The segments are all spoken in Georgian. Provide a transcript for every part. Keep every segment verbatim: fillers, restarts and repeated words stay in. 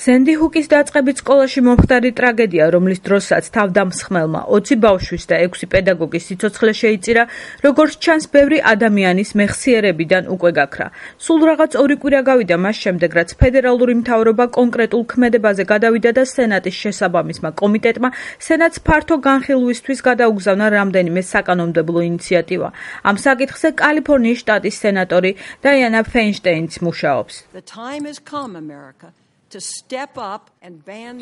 სენდი ჰუკის დაწყებით სკოლაში მომხდარი ტრაგედია, რომლის დროსაც თავდამსხმელმა ოცი ბავშვის და ექვსი პედაგოგის სიცოცხლე შეიწირა, როგორც ჩანს, ბევრი ადამიანის მეხსიერებიდან უკვე გაქრა. სულ რაღაც ორი კვირა გავიდა მას შემდეგ, რაც ფედერალური მთავრობა კონკრეტულ ქმედებაზე გადავიდა და სენატის შესაბამისმა კომიტეტმა სენატს ფართო განხილვისთვის გადაუგზავნა რამდენიმე საკანონმდებლო ინიციატივა. ამ საკითხზე კალიფორნიის შტატის სენატორი დაიანა ფეინშტეინიც მუშაობს.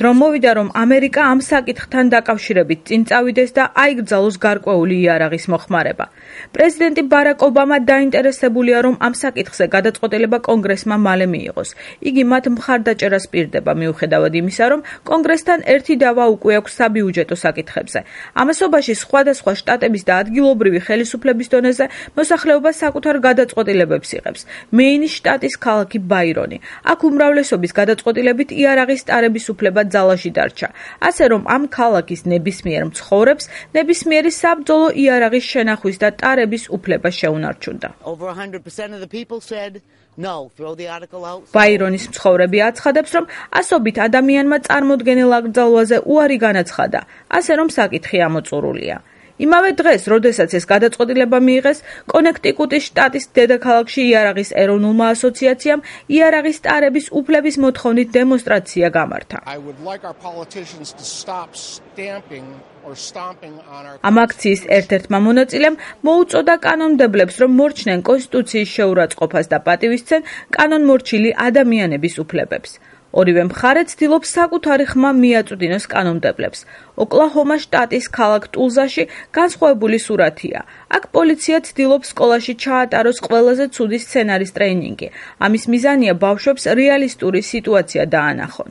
რომ მოვიდა, რომ ამერიკა ამ საკითხთან დაკავშირებით წინ წავიდეს და აიგრძალოს გარკვეული იარაღის მოხმარება. პრეზიდენტი ბარაკ ობამა დაინტერესებულია, რომ ამ საკითხზე გადაწყვეტილება კონგრესმა მალე მიიღოს. იგი მათ მხარდაჭერას პირდება, მიუხედავად იმისა, რომ კონგრესთან ერთი დავა უკვე აქვს საბიუჯეტო საკითხებზე. ამასობაში სხვადასხვა შტატების და ადგილობრივი ხელისუფლების დონეზე მოსახლეობა საკუთარ გადაწყვეტილებებს იღებს. მეინის შტატის ქალაქი ბაირონი. აქ უმრავლესობის გადაწყვეტილებით იარაღის ტარების უფლება ძალაში დარჩა. ასე რომ ამ ქალაქის ნებისმიერ მცხოვრებს ნებისმიერი საბრძოლო იარაღის შენახვის და ტარების უფლება შეუნარჩუნდა. ბაირონის მცხოვრები აცხადებს, რომ ასობით ადამიანმა წარმოდგენილ აკრძალვაზე უარი განაცხადა, ასე რომ საკითხი ამოწურულია. იმავე დღეს, როდესაც ეს გადაწყვეტილება მიიღეს, კონექტიკუტის შტატის დედაქალაქში იარაღის ეროვნულმა ასოციაციამ იარაღის ტარების უფლების მოთხოვნით დემონსტრაცია გამართა. ამ აქციის ერთ-ერთმა მონაწილემ მოუწოდა კანონმდებლებს, რომ მორჩნენ კონსტიტუციის შეურაცხყოფას და პატივისცენ კანონმორჩილი ადამიანების უფლებებს. ორივე მხარე ცდილობს საკუთარი ხმა მიაწვდინოს კანონმდებლებს. ოკლაჰომა შტატის ქალაქ ტულზაში განსხვავებული სურათია. აქ პოლიცია ცდილობს სკოლაში ჩაატაროს ყველაზე ცუდი სცენარის ტრეინინგი. ამის მიზანია ბავშვებს რეალისტური სიტუაცია დაანახონ.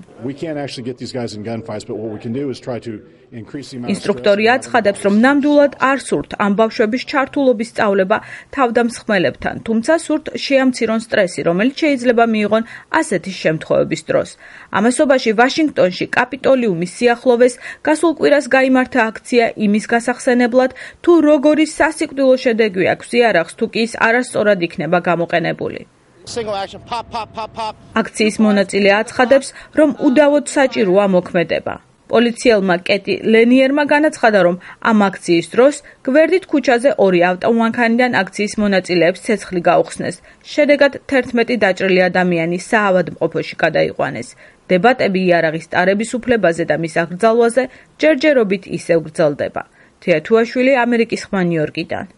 ინსტრუქტორი აცხადებს, რომ ნამდვილად არ სურთ ამ ბავშვების ჩართულობის სწავლება თავდამსხმელებთან, თუმცა სურთ შეამცირონ სტრესი, რომელიც შეიძლება მიიღონ ასეთი შემთხვევების დროს. ამასობაში ვაშინგტონში კაპიტოლიუმის სიახლოვეს გასულ კვირას გაიმართა აქცია იმის გასახსენებლად, თუ როგორი სასიკვდილო შედეგი აქვს იარაღს, თუ კი ის არასწორად იქნება გამოყენებული. აქციის მონაწილე აცხადებს, რომ უდავოდ საჭიროა მოქმედება. პოლიციელმა კეტი ლენიერმა განაცხადა, რომ ამ აქციის დროს გვერდით ქუჩაზე ორი ავტომანქანიდან აქციის მონაწილეებს ცეცხლი გაუხსნეს. შედეგად თერთმეტი დაჭრილი ადამიანი საავადმყოფოში გადაიყვანეს. დებატები იარაღის ტარების უფლებაზე და მის აკრძალვაზე ჯერჯერობით ისევ გრძელდება. თეა თუაშვილი, ამერიკის ხმა, ნიუ-იორკიდან.